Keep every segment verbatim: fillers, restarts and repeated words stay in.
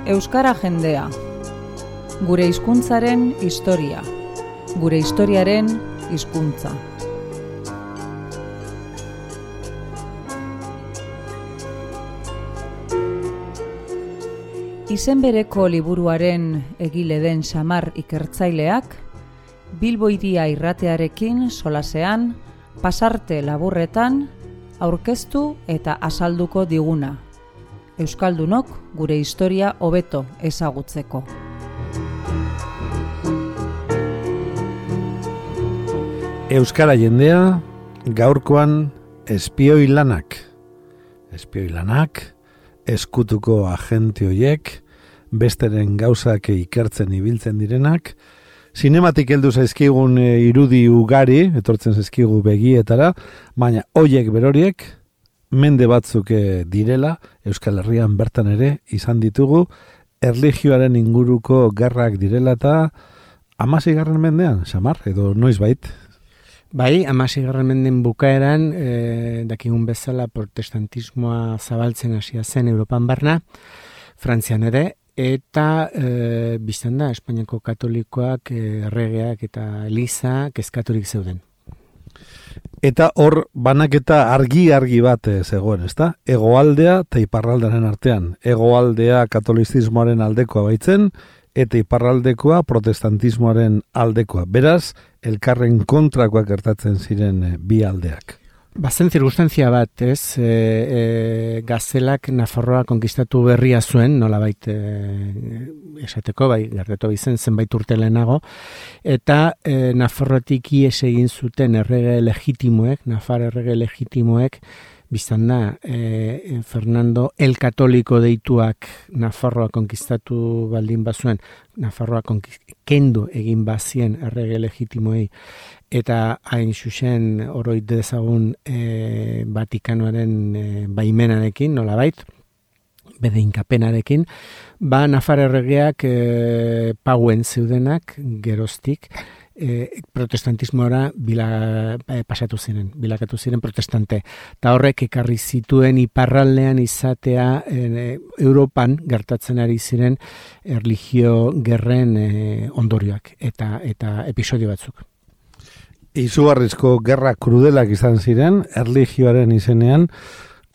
Euskara jendea. Gure hizkuntzaren historia. Gure historiaren hizkuntza. Izen bereko liburuaren egile den Samar ikertzaileak, Bilbo Hiria irratearekin solasean, pasarte laburretan, aurkeztu eta azalduko diguna. Euskaldunok gure historia hobeto ezagutzeko. Euskara jendea, gaurkoan espioi lanak. Espioi lanak, eskutuko agente hoiek, besteren gauzak ikertzen ibiltzen direnak, sinematik heldu zaizkigun irudi ugari, etortzen zaizkigu begietara, baina hoiek beroriek, mende batzuk direla, Euskal Herrian bertan ere izan ditugu, erlijioaren inguruko gerrak direla eta hamaseigarren mendean, Samar, edo noiz bait? Bai, hamaseigarren menden bukaeran, e, dakigun bezala protestantismoa zabaltzen hasia zen Europan barna, Frantzian ere, eta e, biztan da, Espainiako katolikoak, erregeak eta eliza kezkaturik zeuden. Eta hor banaketa argi-argi bat zegoen, ezta? Hegoaldea eta iparraldearen artean. Hegoaldea katolizismoaren aldekoa baitzen, eta iparraldekoa protestantismoaren aldekoa. Beraz, elkarren kontrakoak gertatzen ziren bi aldeak. Bazen zirkustantzia bat, ez, e, e, Gazelak Nafarroa konkistatu berria zuen, nolabait e, esateko, bai, gertatu izen zenbait urte lehenago, eta e, Nafarroatik ies egin zuten errege legitimoek, Nafar errege legitimoek, biztan da, e, Fernando el Katoliko deituak Nafarroa konkistatu baldin bazuen, Nafarroa kendu egin bazien errege legitimoei, eta hain zuzen oroit dezagun e, Vatikanoaren e, baimenarekin, nolabait, bede inkapenarekin, ba Nafar erregeak e, pauen zeudenak geroztik, E, protestantismoara bila, e, pasatu ziren, bilakatu ziren protestante. Ta horrek ekarri zituen iparraldean izatea e, Europan gertatzen ari ziren erlijio gerren e, ondorioak eta eta episodio batzuk. Izugarrizko gerra krudelak izan ziren, erlijioaren izenean,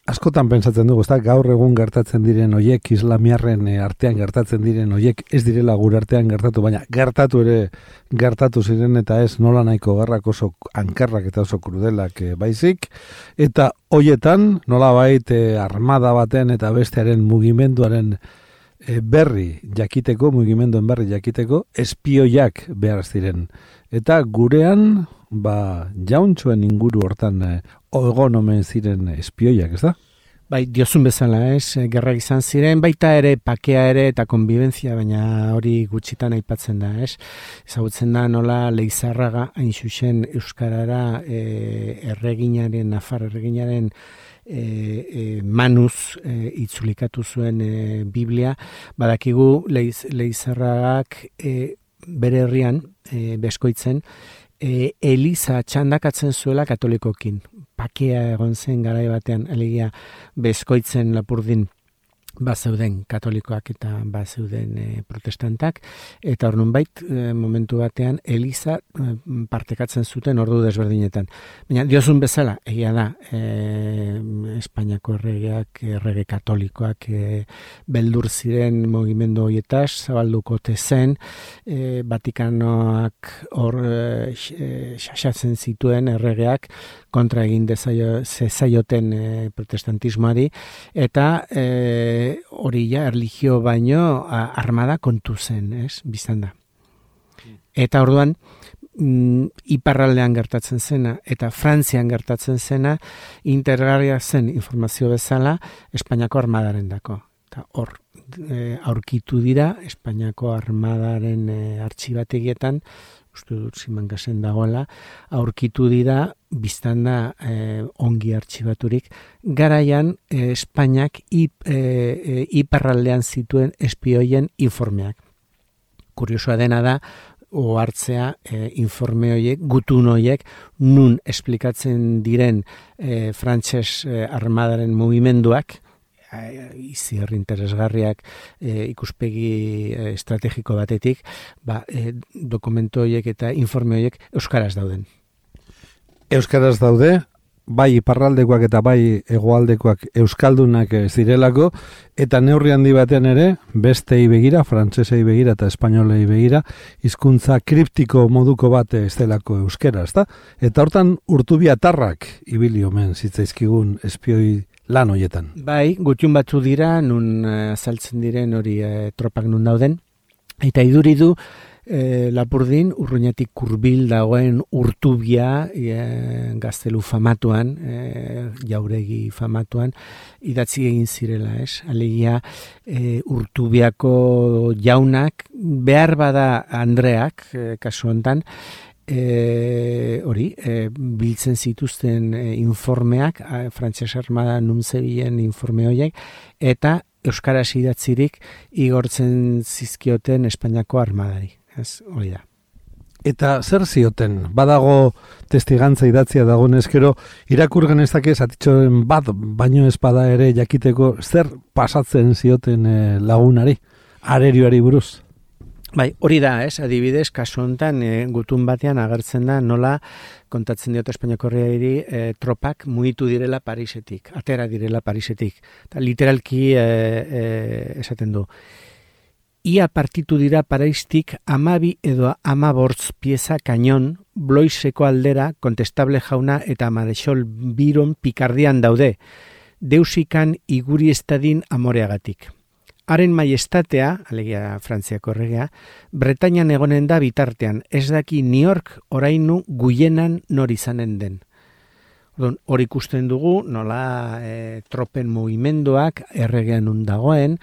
askotan pentsatzen dugu, ezta, gaur egun gertatzen diren hoiek, islamiarren artean gertatzen diren hoiek, ez direla gure artean gertatu, baina gertatu ere gertatu ziren eta ez nola nahiko gerrak oso ankarrak eta oso krudelak e, baizik, eta hoietan nolabait e, armada baten eta bestearen mugimenduaren e, berri jakiteko, mugimenduen berri jakiteko, espioiak behar ziren. Eta gurean, ba, jauntxoen inguru hortan e, egon omen ziren espioiak, ez da? Bai, diozun bezala, ez, gerrak izan ziren, baita ere, pakea ere eta konbibentzia, baina hori gutxitan aipatzen da, ez? Ezagutzen da nola Leizarraga hain zuzen euskarara e, erreginaren, Nafar erreginaren e, e, manuz e, itzulikatu zuen e, Biblia, badakigu Leiz, Leizarragak e, bere herrian, e, Beskoitzen, e, Eliza txandakatzen zuela katolikokin. Pakea egon zen garai batean, alegia Beskoitzen Lapurdin bazeuden katolikoak eta bazeuden e, protestantak, eta hor nunbait e, momentu batean Eliza e, partekatzen zuten ordu desberdinetan. Baina diozun bezala, egia da, e, Espainiako erregeak, errege katolikoak e, beldur ziren mugimendu horietaz, zabalduko tezen, e, Vatikanoak hor e, xaxatzen zituen erregeak kontra egin zezaioten e, protestantismoari, eta e, hori ja, erlijio baino armada kontu zen, ez, biztan da. Eta orduan, mm, iparraldean gertatzen zena, eta Frantzian gertatzen zena, intergarria zen informazio bezala, Espainiako armadaren dako. Eta hor, e, aurkitu dira, Espainiako armadaren e, artxibategietan, uste dut Simangasen dagoela, aurkitu dira, biztan da eh, ongi artxibaturik, garaian eh, Espainiak ip, eh, iparraldean zituen espioien informeak. Kuriosoa dena da, ohartzea e, informe horiek, gutun horiek, nun esplikatzen diren e, frantses e, armadaren mugimenduak, izi herri interesgarriak e, ikuspegi e, estrategiko batetik, ba, e, dokumentu horiek eta informe horiek euskaraz dauden. Euskaraz daude, bai iparraldekoak eta bai hegoaldekoak euskaldunak zirelako, eta neurri handi batean ere, bestei begira, frantsesei begira eta espainolei begira, hizkuntza kriptiko moduko bat ez delako euskera, ezta? Eta hortan urtubiatarrak ibili omen zitzaizkigun espioi lan hoietan. Bai, gutxun batzu dira, nun azaltzen diren hori e, tropak nun dauden, eta iduri du, E, Lapurdin, Urruñatik hurbil dagoen Urtubia e, gaztelu famatuan, e, jauregi famatuan, idatzi egin zirela, ez? Alegia, e, Urtubiako jaunak, behar bada Andreak, e, kasu hontan, e, hori, e, biltzen zituzten e, informeak, e, Frantses Armada nuntzebilen informe horiek, eta euskaraz idatzirik igortzen zizkioten Espainiako armadari. Ez, hori da. Eta zer zioten? Badago testigantza idatzia dagoenez gero irakur genezake zatitxoren bat, baino ez bada ere jakiteko zer pasatzen zioten e, lagunari, arerioari buruz? Bai, hori da, ez, adibidez, kasu honetan, e, gutun batean agertzen da nola kontatzen diote Espainiako herriari e, tropak mugitu direla Parisetik, atera direla Parisetik. Ta, literalki e, e, esaten du. Ia partitu dira Paristik amabi edo amabortz pieza kainon, Bloiseko aldera, Kontestable jauna eta Marechal Biron Pikardian daude, deusikan iguri estadin amoreagatik. Haren maiestatea, alegia Frantziako erregea, Bretainian egonen da bitartean, ez daki New York orainu guienan nor izanen den. Hor ikusten dugu, nola e, tropen mugimenduak erregean nun dagoen,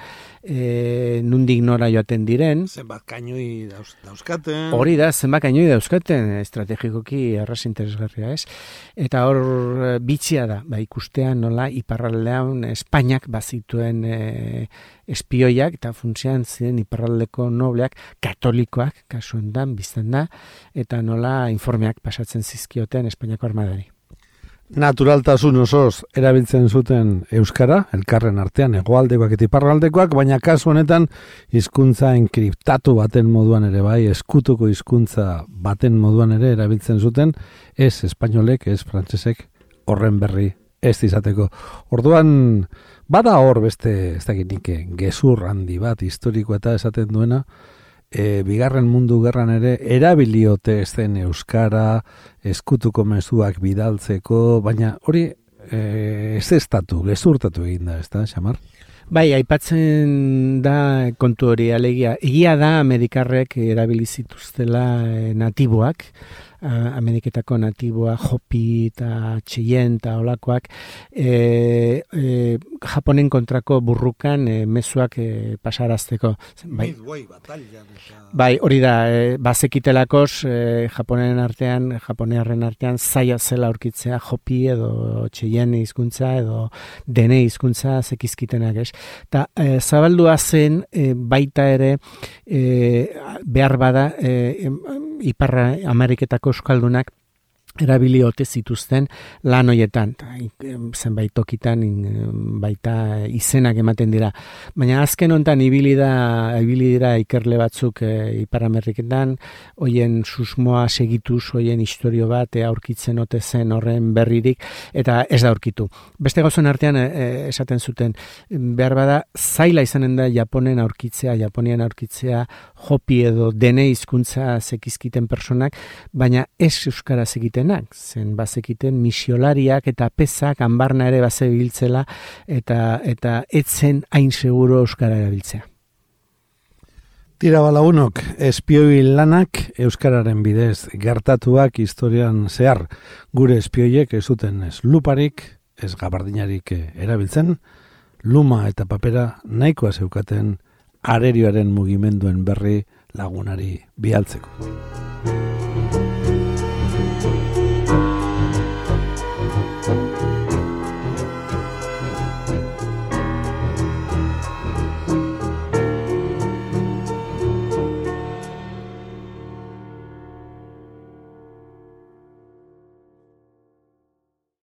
e, nundik nora joaten diren. Zenbat kainoi dauz, dauzkaten. Hori da, zenbat kainoi dauzkaten, estrategikoki erraz interesgarria ez. Eta hor bitxia da, ba, ikustean nola iparraldean Espainiak bazituen e, espioiak, eta funtsean ziren iparraldeko nobleak, katolikoak, kasu hontan, biztan da, eta nola informeak pasatzen zizkioten Espainiako armadari. Naturaltasun osoz erabiltzen zuten euskara, elkarren artean hegoaldekoak eta iparraldekoak, baina kasu honetan hizkuntza enkriptatu baten moduan ere bai, eskutuko hizkuntza baten moduan ere erabiltzen zuten, ez espainolek, ez frantsesek horren berri ez izateko. Orduan, bada hor beste, ez dakit nik, gezur handi bat historiko eta esaten duena, E, bigarren mundu gerran ere erabiliote zen euskara, eskutuko mezuak bidaltzeko, baina hori e, ez estatu, gezurtatu egin da, ez da, Xamar? Bai, aipatzen da kontu hori, alegia, egia da Amerikarrek erabili zituztela natiboak, Ameriketako natiboa, Hopi eta Cheyenne eta olakoak, e, e, Japonen kontrako burrukan e, mezuak e, pasarazteko. Bai, bai hori da, e, bazekitelakoz e, Japonen artean, Japonearren artean zaila zela aurkitzea Hopi edo Cheyenne hizkuntza edo Dene hizkuntza zekizkitenak, ez? Ta e, zabaldua zen e, baita ere e, behar bada e, Iparra Ameriketako euskaldunak erabili ote zituzten lan hoietan, zenbait tokitan baita izenak ematen dira. Baina azken hontan ibili da ibili dira ikerle batzuk e, Ipar Ameriketan, hoien susmoa segituz, hoien istorio bat e, aurkitzen ote zen horren berririk, eta ez da aurkitu. Beste gauzen artean e, esaten zuten, behar bada zaila izanen da Japonen aurkitzea, Japonian aurkitzea, Hopi edo Dene hizkuntza zekizkiten personak, baina ez euskara zekitenak, zen bazekiten misiolariak eta pesak anbarna ere bazebiltzela eta eta etzen hain seguro euskara erabiltzea. Tira balagunok, espioi lanak euskararen bidez gertatuak historian zehar. Gure espioiek ez zuten ez luparik, ez gabardinarik erabiltzen, luma eta papera nahikoa zeukaten arerioaren mugimenduen berri lagunari bialtzeko.